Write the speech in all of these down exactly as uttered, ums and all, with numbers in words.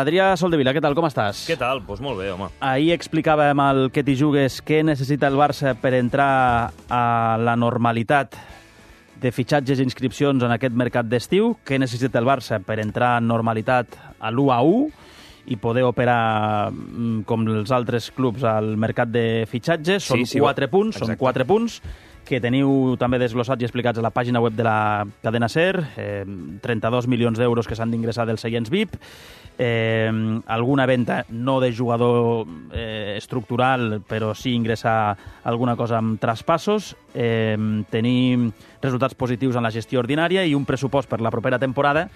Adrià Soldevila, què tal, com estàs? Què tal? Doncs pues molt bé, home. Ahir explicàvem al Que t'hi jugues què necessita el Barça per entrar a la normalitat de fitxatges i inscripcions en aquest mercat d'estiu, què necessita el Barça per entrar en normalitat a l'u a u i poder operar com els altres clubs al mercat de fitxatges. Són Sí, sí, quatre punts, exacte. són quatre punts que teniu també desglossats i explicats a la pàgina web de la cadena SER, eh, trenta-dos milions d'euros que s'han d'ingressar dels seients V I P, eh, alguna venda no de jugador eh, estructural, però sí ingressar alguna cosa amb traspassos, eh, tenir resultats positius en la gestió ordinària i un pressupost per la propera temporada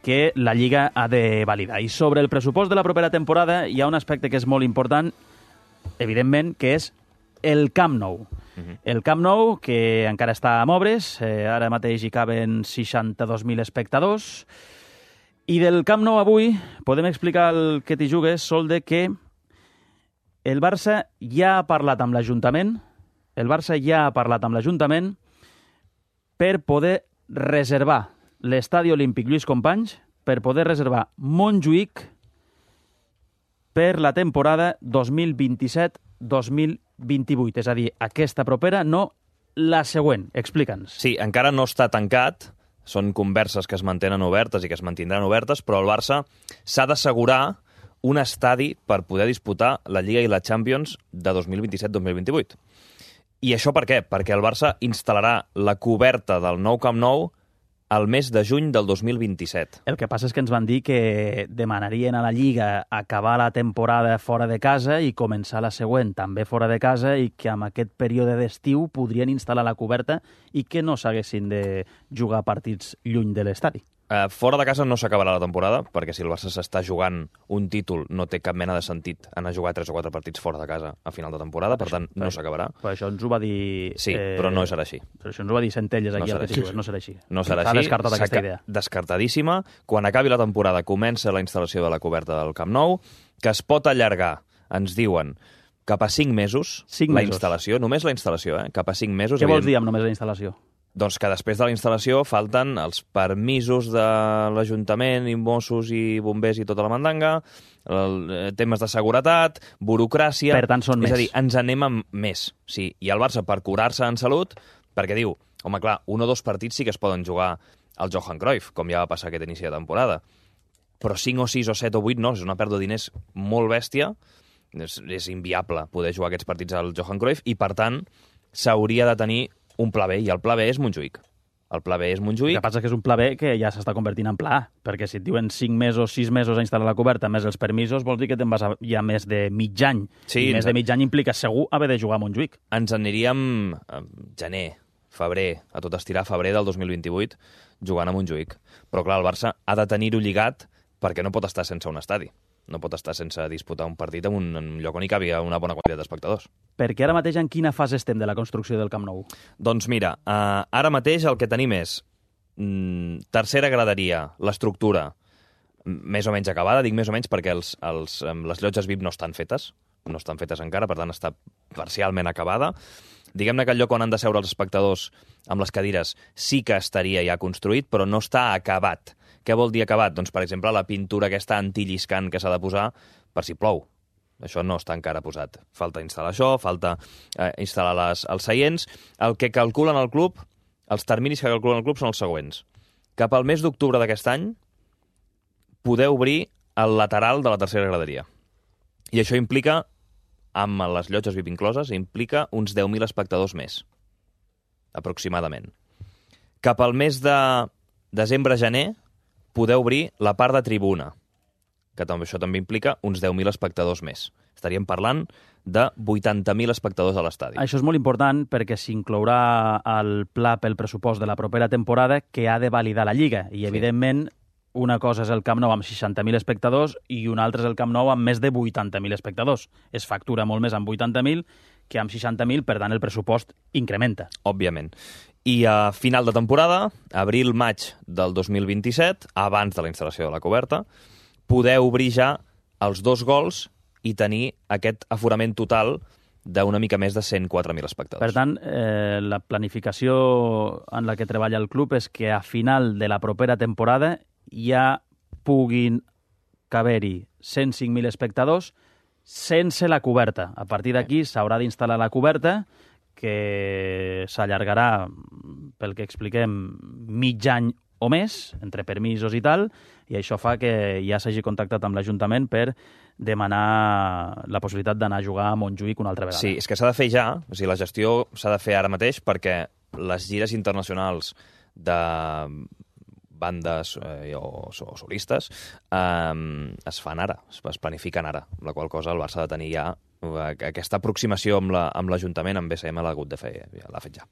que la Lliga ha de validar. I sobre el pressupost de la propera temporada hi ha un aspecte que és molt important, evidentment, que és el Camp Nou. Uh-huh. El Camp Nou, que encara està a obres, eh, ara mateix hi caben seixanta-dos mil espectadors, i del Camp Nou avui podem explicar el Que t'hi jugues, Solde, que el Barça ja ha parlat amb l'Ajuntament, el Barça ja ha parlat amb l'Ajuntament per poder reservar l'Estadi Olímpic Lluís Companys, per poder reservar Montjuïc per la temporada dos mil vint-i-set dos mil vint-i-vuit, és a dir, aquesta propera, no la següent. Explica'ns. Sí, encara no està tancat, són converses que es mantenen obertes i que es mantindran obertes, però el Barça s'ha d'assegurar un estadi per poder disputar la Lliga i la Champions de dos mil vint-i-set dos mil vint-i-vuit. I això per què? Perquè el Barça instal·larà la coberta del nou Camp Nou al mes de juny del dos mil vint-i-set. El que passa és que ens van dir que demanarien a la Lliga acabar la temporada fora de casa i començar la següent també fora de casa i que amb aquest període d'estiu podrien instal·lar la coberta i que no s'haguessin de jugar partits lluny de l'estadi. Uh, fora de casa no s'acabarà la temporada, perquè si el Barça s'està jugant un títol no té cap mena de sentit anar a jugar tres o quatre partits fora de casa a final de temporada, per tant no s'acabarà. Però això ens ho va dir... Sí, eh... però no serà així. Però això ens ho va dir Centelles aquí no al Que t'hi jugues, no serà així. No serà S'ha així. descartat aquesta idea. Descartadíssima. Quan acabi la temporada comença la instal·lació de la coberta del Camp Nou, que es pot allargar, ens diuen, cap a cinc mesos, cinc la mesos. instal·lació, només la instal·lació, eh? cap a cinc mesos. Què vols evident... dir amb només la instal·lació? Doncs que després de la instal·lació falten els permisos de l'Ajuntament, i Mossos i bombers i tota la mandanga, el, eh, temes de seguretat, burocràcia... Per tant, són és més. És a dir, ens anem amb més. Sí. I el Barça, per curar-se en salut, perquè diu, home, clar, un o dos partits sí que es poden jugar al Johan Cruyff, com ja va passar aquest inici de temporada. Però cinc o sis o set o vuit no, és una pèrdua de diners molt bèstia, és, és inviable poder jugar aquests partits al Johan Cruyff, i per tant s'hauria de tenir un pla B, i el pla B és Montjuïc. El pla B és Montjuïc. El que passa és que és un pla B que ja s'està convertint en pla A, perquè si et diuen cinc mesos, sis mesos a instal·lar la coberta, més els permisos, vols dir que te'n vas a ja més de mig any. Sí, I més de mig any implica segur haver de jugar a Montjuïc. Ens aniríem a gener, febrer, a tot estirar febrer del dos mil vint-i-vuit, jugant a Montjuïc. Però clar, el Barça ha de tenir-ho lligat perquè no pot estar sense un estadi. No pot estar sense disputar un partit en un, en un lloc on hi cabi una bona quantitat d'espectadors. Perquè ara mateix en quina fase estem de la construcció del Camp Nou? Doncs mira, uh, ara mateix el que tenim és mm, tercera graderia, l'estructura més o menys acabada, dic més o menys perquè els, els, les llotges V I P no estan fetes, no estan fetes encara, per tant està parcialment acabada. Diguem-ne que el lloc on han de seure els espectadors amb les cadires sí que estaria ja construït, però no està acabat. Què vol dir acabat? Doncs, per exemple, la pintura aquesta antilliscant que s'ha de posar per si plou. Això no està encara posat. Falta instal·lar això, falta eh, instal·lar les, els seients. El que calculen el club, els terminis que calculen el club són els següents. Cap al mes d'octubre d'aquest any, poder obrir el lateral de la tercera graderia. I això implica, amb les llotges V I P incloses, implica uns deu mil espectadors més, aproximadament. Cap al mes de desembre-gener, poder obrir la part de tribuna, que també, això també implica uns deu mil espectadors més. Estaríem parlant de vuitanta mil espectadors a l'estadi. Això és molt important perquè s'inclourà el pla pel pressupost de la propera temporada que ha de validar la Lliga. I, evidentment, una cosa és el Camp Nou amb seixanta mil espectadors i una altra és el Camp Nou amb més de vuitanta mil espectadors. Es factura molt més amb vuitanta mil que amb seixanta mil, per tant el pressupost incrementa. Òbviament. I a final de temporada, abril-maig del dos mil vint-i-set, abans de la instal·lació de la coberta, poder obrir ja els dos gols i tenir aquest aforament total d'una mica més de cent quatre mil espectadors. Per tant, eh, la planificació en la que treballa el club és que a final de la propera temporada ja puguin caber-hi cent cinc mil espectadors sense la coberta. A partir d'aquí s'haurà d'instal·lar la coberta, que s'allargarà, pel que expliquem, mig any o més, entre permisos i tal, i això fa que ja s'hagi contactat amb l'Ajuntament per demanar la possibilitat d'anar a jugar a Montjuïc una altra vegada. Sí, és que s'ha de fer ja, o sigui, la gestió s'ha de fer ara mateix perquè les gires internacionals de bandes eh, o, o solistes eh, es fan ara, es, es planifiquen ara, amb la qual cosa el Barça ha de tenir ja aquesta aproximació amb l'Ajuntament, la, amb B C M l'ha hagut de fer, ja, l'ha fet ja.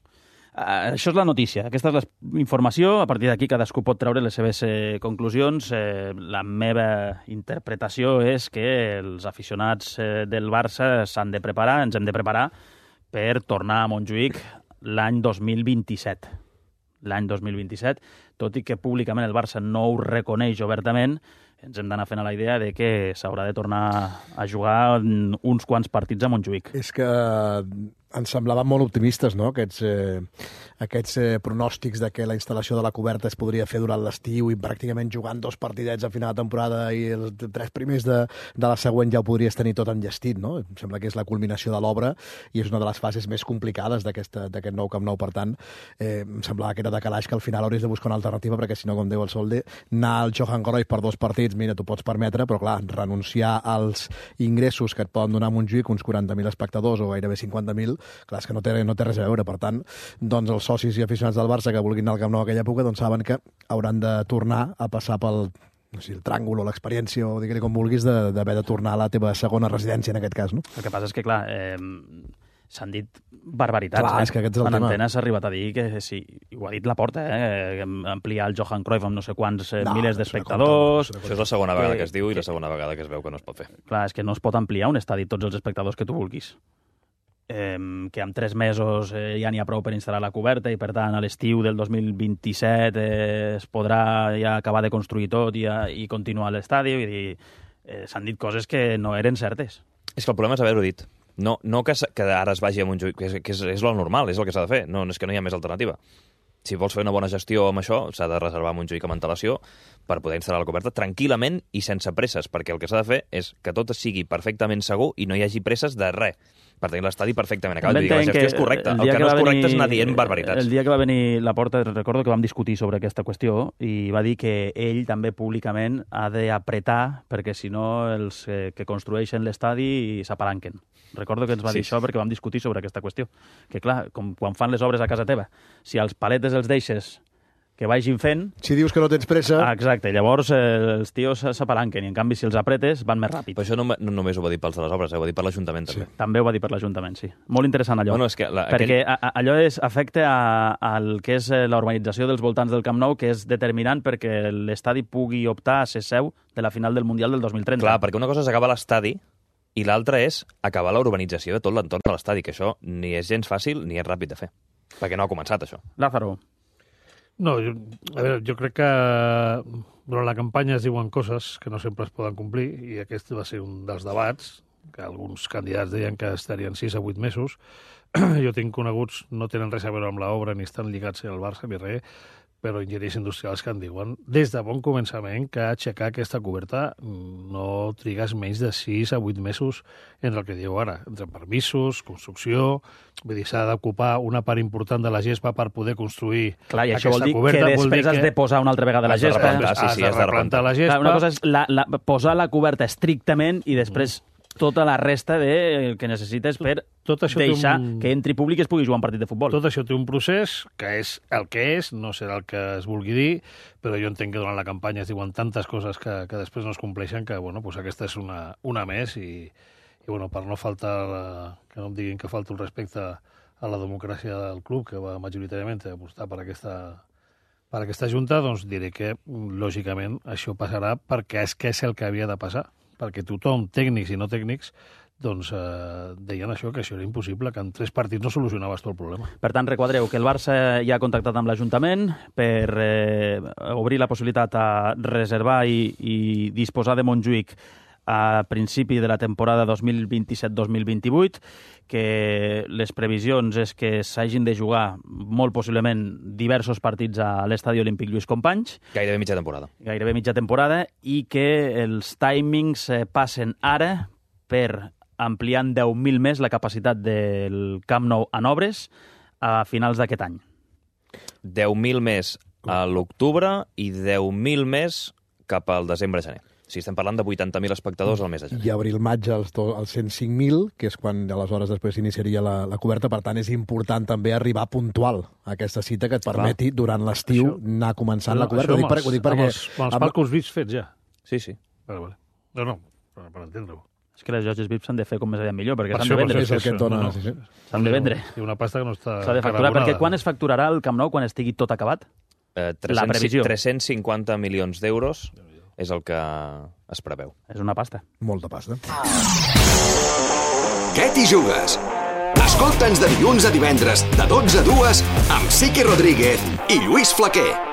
Uh, això és la notícia, aquesta és la informació, a partir d'aquí cadascú pot treure les seves eh, conclusions. Eh, la meva interpretació és que els aficionats eh, del Barça s'han de preparar, ens hem de preparar per tornar a Montjuïc l'any dos mil vint-i-set. L'any dos mil vint-i-set, tot i que públicament el Barça no ho reconeix obertament, ens hem d'anar fent a la idea de que s'haurà de tornar a jugar uns quants partits a Montjuïc. És que ens semblaven molt optimistes, no?, aquests, eh, aquests eh, pronòstics de que la instal·lació de la coberta es podria fer durant l'estiu i pràcticament jugant dos partidets a final de temporada i els tres primers de, de la següent ja ho podries tenir tot enllestit, no? Em sembla que és la culminació de l'obra i és una de les fases més complicades d'aquest nou Camp Nou. Per tant, eh, em semblava que era de calaix que al final hauries de buscar una alternativa perquè, si no, com diu el Solde, anar al Johan Cruyff per dos partits, mira, t'ho pots permetre, però clar, renunciar als ingressos que et poden donar a Montjuïc, uns quaranta mil espectadors o gairebé cinquanta mil, clar, és que no té, no té res a veure. Per tant, doncs els socis i aficionats del Barça que vulguin anar al Camp Nou a aquella època doncs saben que hauran de tornar a passar pel, no sé, el tràngol o l'experiència, o digue-li com vulguis, d'haver de, de tornar a la teva segona residència, en aquest cas, no? El que passa és que, clar, eh, s'han dit barbaritats. Clar, eh? és que aquest és el en tema. antena s'ha arribat a dir que, sí, ho ha dit la Porta, eh? ampliar el Johan Cruyff amb no sé quants eh, No, milers no d'espectadors. Això és la segona vegada que, que es diu i que, la segona vegada que es veu que no es pot fer. Clar, és que no es pot ampliar un estadi tots els espectadors que tu vulguis. Eh, que en tres mesos eh, ja n'hi ha prou per instal·lar la coberta i, per tant, a l'estiu del dos mil vint-i-set eh, es podrà ja acabar de construir tot i, i continuar l'estadi. Vull dir, eh, s'han dit coses que no eren certes. És que el problema és haver-ho dit. No, no que, que ara es vagi a Montjuïc, que, és, que és, és lo normal, és el que s'ha de fer. No, és que no hi ha més alternativa. Si vols fer una bona gestió amb això, s'ha de reservar Montjuïc amb antelació per poder instal·lar la coberta tranquil·lament i sense presses, perquè el que s'ha de fer és que tot sigui perfectament segur i no hi hagi presses de res, per tenir l'estadi perfectament acabat. Vull dir que la gestió és correcta. El, el que, que no és correcte venir, és anar dient barbaritats. El dia que va venir la Porta, recordo que vam discutir sobre aquesta qüestió i va dir que ell també públicament ha d'apretar perquè si no els eh, que construeixen l'estadi s'apalanquen. Recordo que ens va sí. dir això perquè vam discutir sobre aquesta qüestió. Que clar, com quan fan les obres a casa teva, si els paletes els deixes que vagin fent... Si dius que no tens pressa... Ah, exacte, llavors eh, els tios s'apalanquen i en canvi si els apretes van més ràpid. Però això no, no només ho va dir pels de les obres, eh? Ho va dir per l'Ajuntament també. Sí, també ho va dir per l'Ajuntament, sí. Molt interessant allò. Bueno, és que la, perquè aquell... a, allò és, afecta a, al que és la urbanització dels voltants del Camp Nou, que és determinant perquè l'estadi pugui optar a ser seu de la final del Mundial del dos mil trenta. Clar, perquè una cosa és acabar l'estadi i l'altra és acabar la urbanització de tot l'entorn de l'estadi, que això ni és gens fàcil ni és ràpid de fer, perquè no ha començat això. Lázaro. No, jo, a veure, jo crec que durant la campanya es diuen coses que no sempre es poden complir i aquest va ser un dels debats, que alguns candidats deien que estarien sis a vuit mesos. Jo tinc coneguts, no tenen res a veure amb l'obra, ni estan lligats al Barça ni res, però enginyers industrials que en diuen des de bon començament que aixecar aquesta coberta no trigues menys de sis a vuit mesos entre el que diu ara, entre permisos, construcció, vull dir, s'ha d'ocupar una part important de la gespa per poder construir Clar, i aquesta això vol dir coberta, que després vol dir que has de posar una altra vegada la gespa. Ah, sí, sí, has de replantar la gespa. Clar, una cosa és la, la, posar la coberta estrictament i després tota la resta de que necessites per tot això deixar un... que entri públic i es pugui jugar un partit de futbol. Tot això té un procés que és el que és, no serà el que es vulgui dir, però jo entenc que durant la campanya es diuen tantes coses que, que després no es compleixen que, bueno, pues aquesta és una, una més i, i bueno, per no faltar, la, que no em diguin que falta el respecte a la democràcia del club, que va majoritàriament a apostar per aquesta, per aquesta junta, doncs diré que, lògicament, això passarà perquè és que és el que havia de passar, perquè tothom, tècnics i no tècnics, doncs eh, deien això, que això era impossible, que en tres partits no solucionaves tot el problema. Per tant, requadreu que el Barça ja ha contactat amb l'Ajuntament per eh, obrir la possibilitat a reservar i, i disposar de Montjuïc a principi de la temporada dos mil vint-i-set dos mil vint-i-vuit, que les previsions és que s'hagin de jugar molt possiblement diversos partits a l'Estadi Olímpic Lluís Companys. Gairebé mitja temporada. Gairebé mitja temporada, i que els timings eh, passen ara per ampliant deu mil més la capacitat del Camp Nou en obres a finals d'aquest any. deu mil més a l'octubre i deu mil més cap al desembre-gener. Si estem parlant de vuitanta mil espectadors al mes de gener. I abril-maig els, do- els cent cinc mil, que és quan aleshores després s'iniciaria la, la coberta. Per tant, és important també arribar puntual a aquesta cita que et permeti, durant l'estiu, Això- anar començant la Això coberta. Ho dic, per, ho dic amb perquè... els, amb els amb- palcos V I Ps fets ja. Sí, sí. Vale, vale. No, no, per, per entendre-ho. És que les llotges V I P s'han de fer com més aviat millor, perquè Per s'han això, de per vendre. és el que et dona, no, no. sí, sí. S'han de vendre. I una pasta que no està... S'ha de facturar, carabonada. perquè quan es facturarà el Camp Nou, quan estigui tot acabat? Eh, La previsió. tres-cents cinquanta milions d'euros és el que es preveu. És una pasta. Molta pasta. Què t'hi jugues? Escolta'ns de dilluns a divendres, de dotze a dues, amb Sique Rodríguez i Lluís Flaquer.